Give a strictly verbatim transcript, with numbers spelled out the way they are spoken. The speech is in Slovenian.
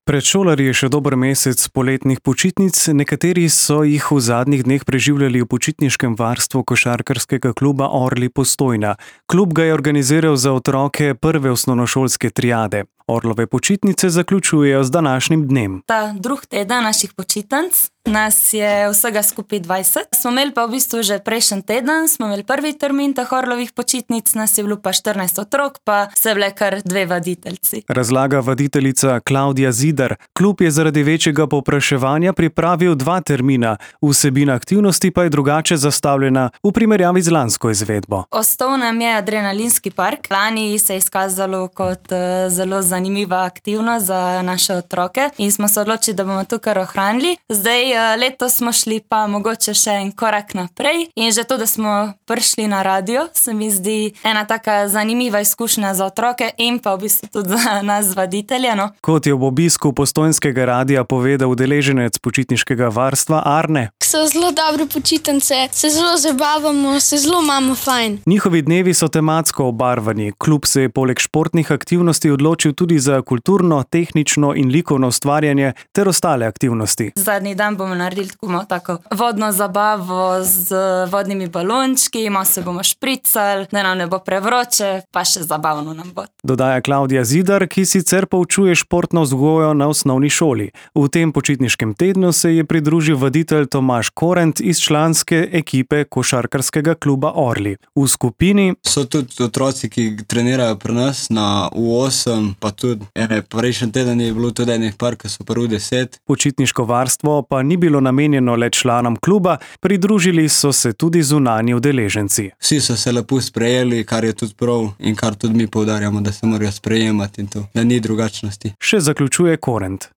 Pred šolarji je še dober mesec poletnih počitnic, nekateri so jih v zadnjih dneh preživljali v počitniškem varstvu košarkarskega kluba Orli Postojna. Klub ga je organiziral za otroke prve osnovnošolske triade. Orlove počitnice zaključujejo z današnjim dnem. Ta drug teden naših počitnic, nas je vsega skupaj dvajset. Smo imeli pa v bistvu že prejšnji teden, smo imeli prvi termin teh Orlovih počitnic, nas je bilo pa štirinajst otrok, pa se bile kar dve vaditeljci. Razlaga vaditeljica Klavdija Zidar. Klub je zaradi večjega povpraševanja pripravil dva termina, vsebina aktivnosti pa je drugače zastavljena v primerjavi z lansko izvedbo. Ostal nam je adrenalinski park. Lani se je izkazalo kot uh, zelo zanimiva aktivnost za naše otroke in smo se odločili, da bomo to kar ohranili. Zdaj uh, letos smo šli pa mogoče še en korak naprej in že to, da smo prišli na radio, se mi zdi ena taka zanimiva izkušnja za otroke in pa v bistvu tudi za nas vaditelje. No. Kot je ob obisku Postojnskega radia povedal udeleženec počitniškega varstva Arne. So zelo dobre počitnice, se zelo zabavamo, se zelo imamo fajn. Njihovi dnevi so tematsko obarvani. Klub se je poleg športnih aktivnosti odločil tudi za kulturno, tehnično in likovno ustvarjanje ter ostale aktivnosti. Zadnji dan bomo naredili tako, tako vodno zabavo z vodnimi balončki, malo se bomo špricali, da nam ne bo prevroče, pa še zabavno nam bo. Dodaja Klavdija Zidar, ki sicer poučuje športno vzgojo na osnovni šoli. V tem počitniškem tednu se je pridružil vaditelj Tomaž Korent iz članske ekipe košarkarskega kluba Orli. V skupini so tudi otroci, ki trenirajo pri nas na U osem, pa tudi ene, prejšnji teden je bilo tudi enih par, ki so pa U deset. Počitniško varstvo pa ni bilo namenjeno le članom kluba, pridružili so se tudi zunanji udeleženci. Vsi so se lepo sprejeli, kar je tudi prav in kar tudi mi poudarjamo, da se morajo sprejemati in to, da ni drugačnosti. Še zaključuje Korent.